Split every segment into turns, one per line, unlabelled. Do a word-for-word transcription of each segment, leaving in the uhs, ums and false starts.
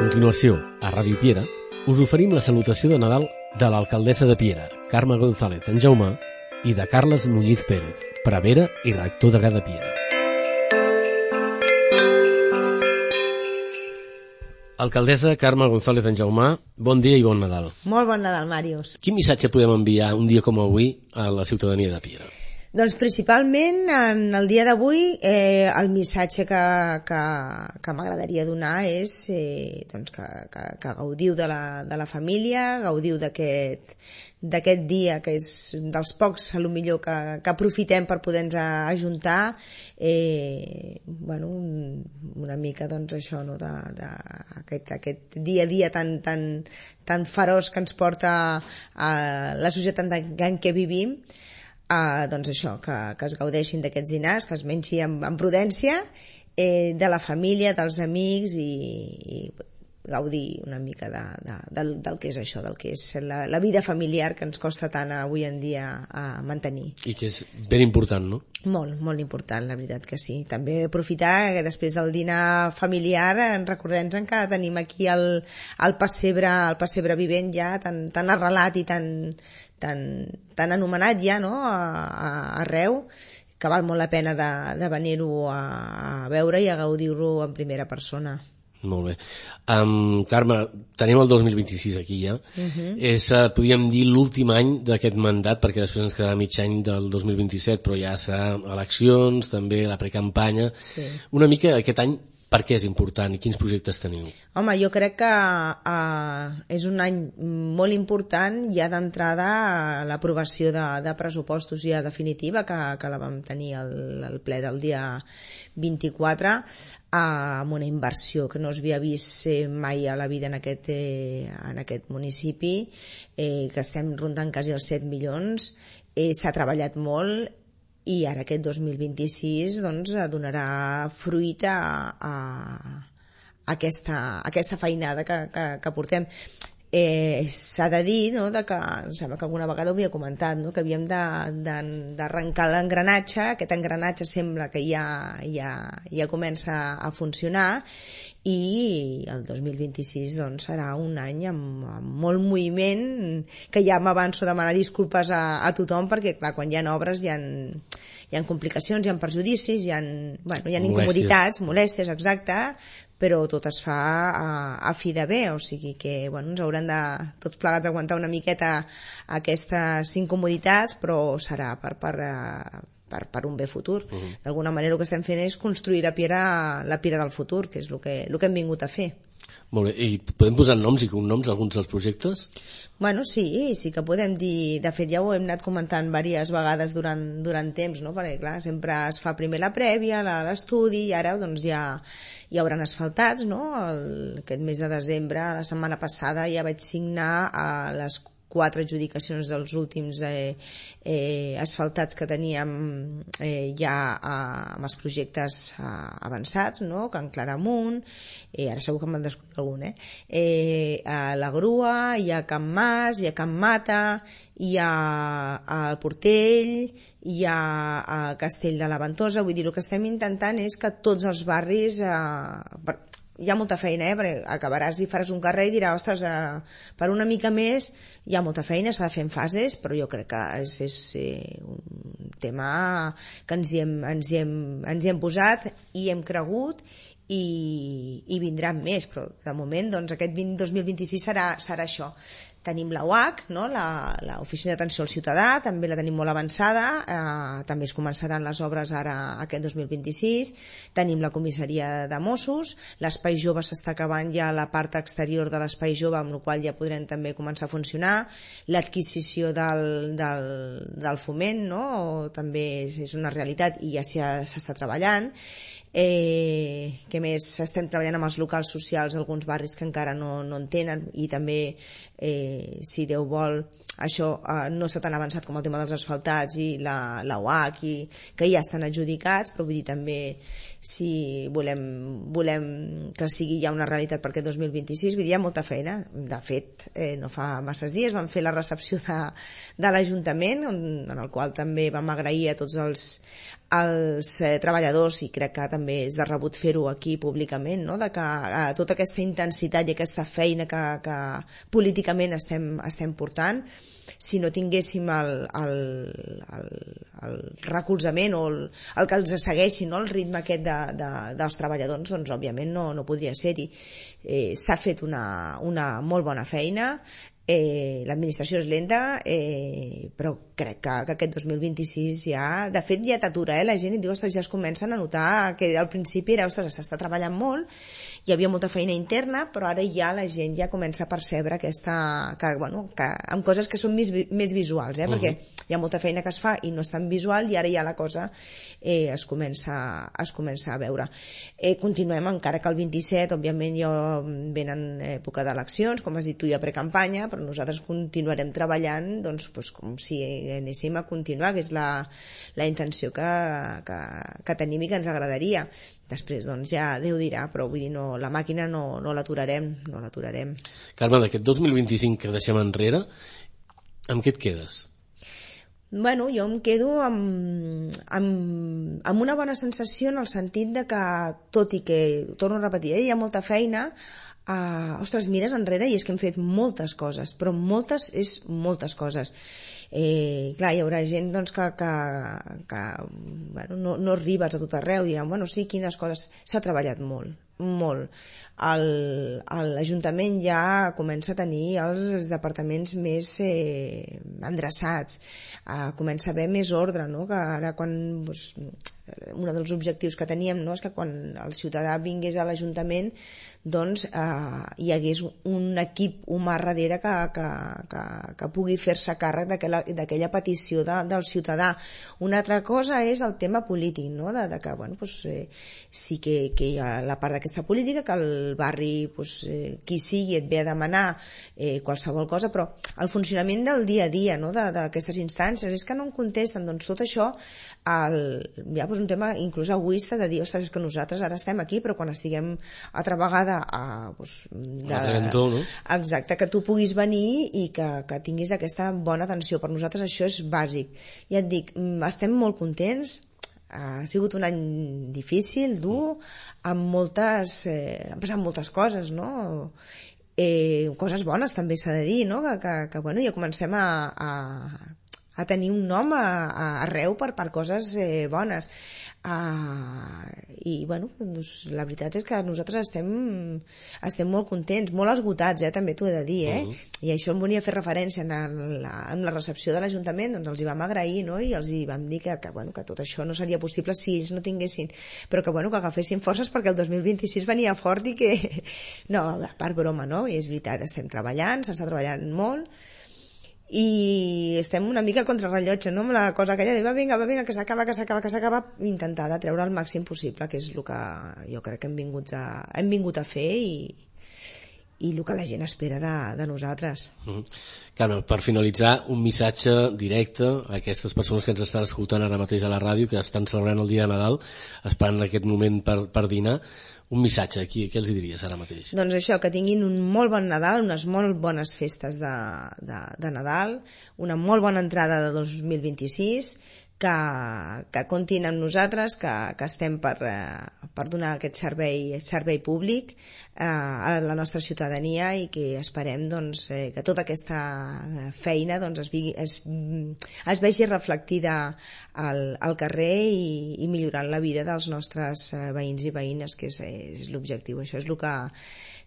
continuació, a Ràdio Piera, us oferim la salutació de Nadal de l'alcaldessa de Piera, Carme González en Jaumà, i de Carles Muñiz Pérez, prevere i rector de Gra de Piera. Alcaldessa Carme González en Jaumà, bon dia i bon Nadal.
Molt bon Nadal, Màrius.
Quin missatge podem enviar un dia com avui a la ciutadania de Piera?
Doncs principalment en el dia d'avui eh, el missatge que, que, que m'agradaria donar és eh, doncs que, que, que gaudiu de la, de la família, gaudiu d'aquest d'aquest dia que és dels pocs a lo millor que, que aprofitem per poder-nos ajuntar, eh, bueno, un, una mica doncs això, no, de, de, aquest, aquest dia a dia tan, tan, tan feroç que ens porta a la societat en què vivim. Uh, doncs això, que, que es gaudeixin d'aquests dinars, que es mengi amb, amb prudència, eh, de la família, dels amics i, i gaudir una mica de, de, del, del que és això, del que és la, la vida familiar que ens costa tant avui en dia a mantenir.
I que és ben important, no?
Molt, molt important, la veritat que sí. També aprofitar que després del dinar familiar recordem-nos que tenim aquí el, el pessebre, el pessebre vivent ja tan, tan arrelat i tan, tan, tan anomenat ja, no?, a, a, arreu, que val molt la pena de, de venir-ho a, a veure i a gaudir-ho en primera persona.
Molt bé. Um, Carme, tenim el dos mil vint-i-sis aquí ja. Uh-huh. És, uh, podríem dir, l'últim any d'aquest mandat, perquè després ens quedarà mig any del dos mil vint-i-set, però ja serà eleccions, també la precampanya. Sí. Una mica aquest any, per què és important i quins projectes teniu?
Home, jo crec que uh, és un any molt important ja d'entrada a l'aprovació de, de pressupostos ja definitiva, que, que la vam tenir al, al ple del dia vint-i-quatre, amb una inversió que no s'havia vist eh, mai a la vida en aquest, eh, en aquest municipi, eh, que estem rondant quasi els set milions, eh, s'ha treballat molt i ara aquest dos mil vint-i-sis doncs, donarà fruit a, a, a, aquesta, a aquesta feinada que, que, que portem. Eh, s'ha de dir, no, de que, em sembla que alguna vegada ho havia comentat, no, que havíem d'arrencar l'engranatge. Aquest engranatge sembla que ja, ja, ja comença a funcionar i el dos mil vint-i-sis doncs, serà un any amb, amb molt moviment, que ja m'avanço a demanar disculpes a, a tothom perquè clar, quan hi ha obres hi ha, hi ha complicacions, hi ha perjudicis, hi ha, bueno, hi ha incomoditats, molèsties, exacte, però tot es fa a, a fi de bé, o sigui que bueno, ens hauran de tots plegats aguantar una miqueta aquestes incomoditats, però serà per, per, per, per un bé futur. Uh-huh. D'alguna manera el que estem fent és construir la Piera, la Piera del futur, que és el que, el que hem vingut a fer.
Molt bé, i podem posar noms i cognoms a alguns dels projectes?
Bueno, sí, sí que podem dir, de fet ja ho hem anat comentant diverses vegades durant, durant temps, no? Perquè clar, sempre es fa primer la prèvia, l'estudi, i ara doncs ja hi hauran asfaltats, no? El, aquest mes de desembre, la setmana passada ja vaig signar a les quatre adjudicacions dels últims eh, eh, asfaltats que teníem eh, ja eh, amb els projectes eh, avançats, no? Can Claramunt, eh, ara segur que m'han descobrit algun, eh? Eh, a la Grua, hi ha Can Mas, hi ha Can Mata, hi ha el Portell, hi ha el Castell de la Ventosa. Vull dir, el que estem intentant és que tots els barris... Eh, hi ha molta feina, eh? Perquè acabaràs i faràs un carrer i diràs, ostres, eh, per una mica més hi ha molta feina, s'ha de fer en fases, però jo crec que és, és eh, un tema que ens hi, hem, ens, hi hem, ens hi hem posat i hem cregut i, i vindran més, però de moment doncs, aquest vint, dos mil vint-i-sis serà, serà això. Tenim la U A C, no? l'Oficina d'Atenció al Ciutadà, també la tenim molt avançada, eh, també es començaran les obres ara aquest dos mil vint-i-sis, tenim la comissaria de Mossos, l'Espai Jove s'està acabant ja la part exterior de l'Espai Jove, amb la qual ja podrem també començar a funcionar, l'adquisició del, del, del foment, no? O també és, és una realitat i ja s'està treballant. Eh, que més estem treballant amb els locals socials d'alguns barris que encara no, no en tenen i també eh, si Déu vol això eh, no s'ha tan avançat com el tema dels asfaltats i la, la U H, i, que ja estan adjudicats, però vull dir també si volem, volem que sigui ja una realitat per aquest dos mil vint-i-sis, vull dir, hi ha molta feina. De fet, eh, no fa masses dies vam fer la recepció de, de l'Ajuntament, en el qual també vam agrair a tots els, els eh, treballadors, i crec que també és de rebut fer-ho aquí públicament, no? De que eh, tota aquesta intensitat i aquesta feina que, que políticament estem, estem portant, si no tinguéssim el, el, el, el recolzament o el, el que els segueixi, no? El ritme aquest de, de, dels treballadors, doncs òbviament no, no podria ser-hi. Eh, s'ha fet una, una molt bona feina, eh, l'administració és lenta, eh, però crec que, que aquest dos mil vint-i-sis ja, de fet ja t'atura, eh? La gent, i et diu, ostres, ja es comencen a notar que al principi era, ostres, s'està treballant molt, hi havia molta feina interna, però ara ja la gent ja comença a percebre aquesta, que, bueno, que, amb coses que són més, més visuals, eh? Uh-huh. Perquè hi ha molta feina que es fa i no és tan visual, i ara ja la cosa eh, es, comença, es comença a veure. Eh, continuem, encara que el vint-i-set, òbviament, ja venen època d'eleccions, com has dit tu, ja precampanya, però nosaltres continuarem treballant doncs, doncs, com si anéssim a continuar, que és la, la intenció que, que, que tenim i que ens agradaria. Després, doncs, ja Déu dirà, però vull dir, no, la màquina no, no l'aturarem, no l'aturarem.
Carme, d'aquest dos mil vint-i-cinc que deixem enrere, amb què et quedes?
Bueno, jo em quedo amb, amb, amb una bona sensació, en el sentit de que, tot i que, torno a repetir, eh, hi ha molta feina, Uh, ostres, mires enrere i és que hem fet moltes coses, però moltes és moltes coses. Eh, clar, hi haurà gent doncs, que, que, que bueno, no, no arribes a tot arreu, diran, bueno, sí, quines coses. S'ha treballat molt, molt. L'Ajuntament ja comença a tenir els departaments més eh, endreçats, uh, comença a haver més ordre, no? Que ara quan doncs, un dels objectius que teníem, no? És que quan el ciutadà vingués a l'Ajuntament doncs eh, hi hagués un equip humà darrere que, que, que, que pugui fer-se càrrec d'aquella petició de, del ciutadà. Una altra cosa és el tema polític, no? de, de que bueno, pues, eh, sí que, que hi ha la part d'aquesta política, que el barri, pues, eh, qui sigui, et ve a demanar eh, qualsevol cosa, però el funcionament del dia a dia, no? d'aquestes instàncies, és que no en contesten. Doncs tot això el, hi ha pues, un tema inclús egoista de dir, ostres, és que nosaltres ara estem aquí, però quan estiguem altra vegada a, pues, de,
Trentó, no?
Exacte, que tu puguis venir i que, que tinguis aquesta bona atenció. Per nosaltres això és bàsic. Ja et dic, estem molt contents, ha sigut un any difícil, dur, amb moltes, eh, han passat moltes coses, no? Eh, coses bones també s'ha de dir, no? Que, que, que bueno, ja comencem a, a, a tenir un nom a, a, arreu per, per coses eh, bones. Uh, i bueno, doncs, la veritat és que nosaltres estem, estem molt contents, molt esgotats, eh, també t'ho he de dir, eh? Uh-huh. I això em volia fer referència en la, en la recepció de l'Ajuntament, doncs els hi vam agrair, no? I els hi vam dir que, que, bueno, que tot això no seria possible si ells no tinguessin, però que, bueno, que agafessin forces perquè el dos mil vint-i-sis venia fort i que no, a part broma, no? I és veritat, estem treballant, s'està treballant molt i estem una mica contra rellotge, no? Amb la cosa aquella de va vinga, va vinga, que s'acaba, que s'acaba, que s'acaba, intentar de treure el màxim possible, que és el que jo crec que hem vingut a, hem vingut a fer i, i el que la gent espera de, de nosaltres.
Mm-hmm. Carme, per finalitzar, un missatge directe a aquestes persones que ens estan escoltant ara mateix a la ràdio, que estan celebrant el dia de Nadal, esperant aquest moment per, per dinar. Un missatge, aquí, què els diries ara mateix?
Doncs això, que tinguin un molt bon Nadal, unes molt bones festes de, de, de Nadal, una molt bona entrada de dos mil vint-i-sis, que, que comptin amb nosaltres, que, que estem per, eh, per donar aquest servei, servei públic eh, a la nostra ciutadania i que esperem doncs, eh, que tota aquesta feina doncs, es, vigui, es, es vegi reflectida al, al carrer i, i millorant la vida dels nostres eh, veïns i veïnes, que és, és l'objectiu. Això és el que,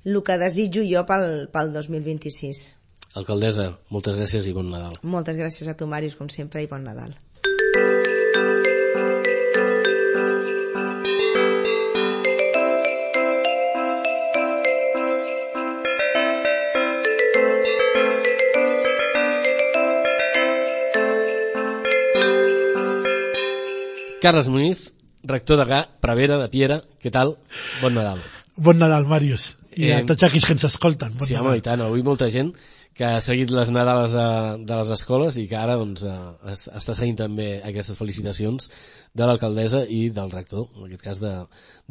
el que desitjo jo pel, pel dos mil vint-i-sis.
Alcaldessa, moltes gràcies i bon Nadal.
Moltes gràcies a tu, Màrius, com sempre, i bon Nadal.
Carles Muñiz, rector de G A, Prevere, de Piera, què tal? Bon Nadal.
Bon Nadal, Màrius. I eh, a tots aquells que ens escolten. Bon
sí,
Nadal.
home, i tant, avui molta gent que ha seguit les Nadales a, de les escoles i que ara doncs, a, està seguint també aquestes felicitacions de l'alcaldessa i del rector, en aquest cas de,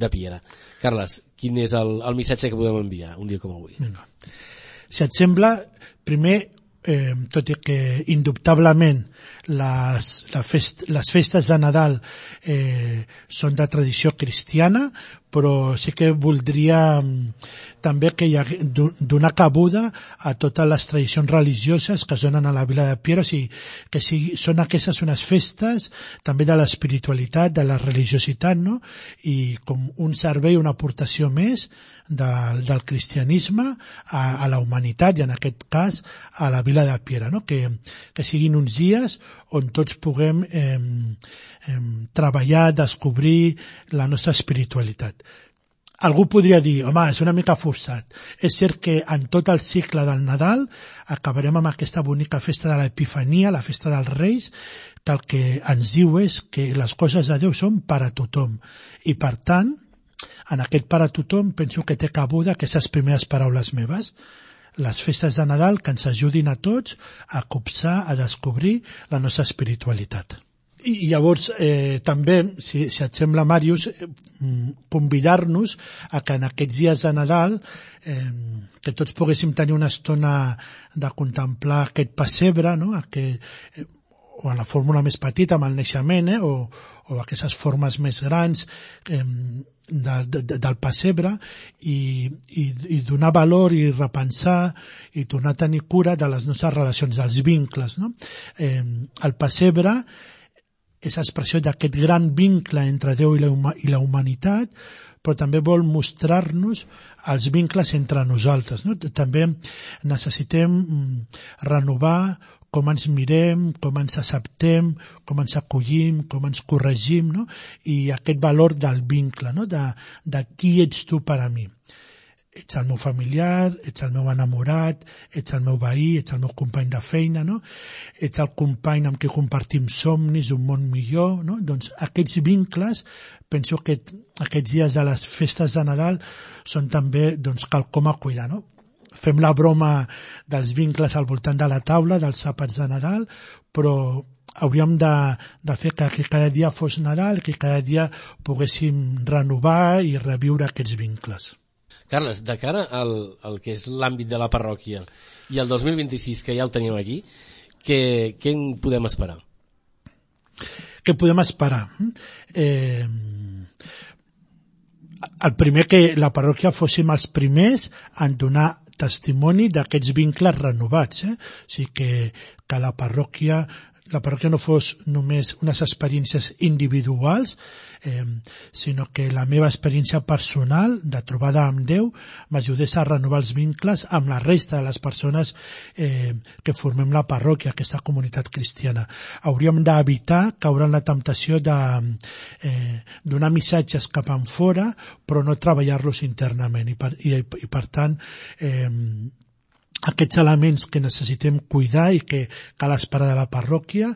de Piera. Carles, quin és el, el missatge que podem enviar un dia com avui?
Vinga. Si et sembla, primer, eh, tot i que indubtablement les, la fest, les festes de Nadal eh, són de tradició cristiana, però sí que voldria també que hi ha, donar cabuda a totes les tradicions religioses que es donen a la vila de Piera, o sigui, que sigui, són aquestes unes festes també de l'espiritualitat, de la religiositat, no? I com un servei, una aportació més del, del cristianisme a, a la humanitat i en aquest cas a la vila de Piera, no? Que, que siguin uns dies on tots puguem eh, eh, treballar, descobrir la nostra espiritualitat. Algú podria dir, home, és una mica forçat. És cert que en tot el cicle del Nadal acabarem amb aquesta bonica festa de l'Epifania, la festa dels Reis, que el que ens diu és que les coses de Déu són per a tothom. I per tant, en aquest per a tothom penso que té cabuda aquestes primeres paraules meves. Les festes de Nadal que ens ajudin a tots a copsar, a descobrir la nostra espiritualitat. I llavors eh, també, si, si et sembla, Màrius, eh, convidar-nos a que en aquests dies de Nadal eh, que tots poguéssim tenir una estona de contemplar aquest pessebre, no? Aquest, eh, o en la fórmula més petita, amb el naixement, eh? o, o aquestes formes més grans eh, de, de, del pessebre, i, i, i donar valor i repensar i tornar a tenir cura de les nostres relacions, dels vincles. No? Eh, el pessebre és expressió d'aquest gran vincle entre Déu i la, i la humanitat, però també vol mostrar-nos els vincles entre nosaltres. No? També necessitem renovar com ens mirem, com ens acceptem, com ens acollim, com ens corregim, no? I aquest valor del vincle, no? de, de qui ets tu per a mi. Ets el meu familiar, ets el meu enamorat, ets el meu veí, ets el meu company de feina, no? Ets el company amb qui compartim somnis, un món millor, no? Doncs aquests vincles, penso que aquests dies de les festes de Nadal són també, doncs, quelcom a cuidar, no? Fem la broma dels vincles al voltant de la taula, dels àpats de Nadal, però hauríem de, de fer que, que cada dia fos Nadal, que cada dia poguéssim renovar i reviure aquests vincles.
Carles, de cara al, al que és l'àmbit de la parròquia i el dos mil vint-i-sis, que ja el tenim aquí, què, què en podem esperar?
Què podem esperar? Eh, el primer, que la parròquia fóssim els primers en donar testimoni d'aquests vincles renovats. Eh? O sigui que, que la parròquia la parròquia no fos només unes experiències individuals, eh, sinó que la meva experiència personal de trobada amb Déu m'ajudés a renovar els vincles amb la resta de les persones eh, que formem la parròquia, aquesta comunitat cristiana. Hauríem d'evitar caure en la temptació de eh, donar missatges cap enfora, però no treballar-los internament. I per, i, i per tant, eh, aquests elements que necessitem cuidar i que cal esperar de la parròquia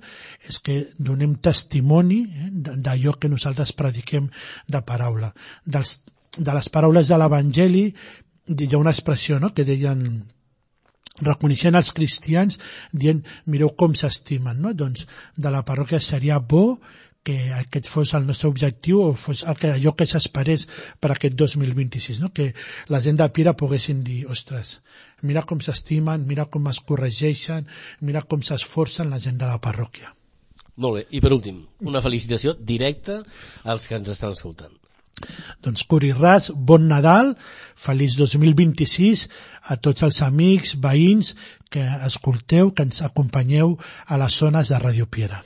és que donem testimoni eh, d'allò que nosaltres prediquem de paraula. Dels, de les paraules de l'Evangeli hi ha una expressió, no?, que deien, reconeixent els cristians, dient, mireu com s'estimen, no? Doncs de la parròquia seria bo que aquest fos el nostre objectiu o fos el que, allò que s'esperés per aquest dos mil vint-i-sis, no? Que la gent de Piera poguessin dir, ostres, mira com s'estimen, mira com es corregeixen, mira com s'esforcen la gent de la parròquia.
Molt bé, i per últim, una felicitació directa als que ens estan escoltant.
Doncs Curi Ras, bon Nadal, feliç dos mil vint-i-sis a tots els amics, veïns que escolteu, que ens acompanyeu a les zones de Ràdio Piera.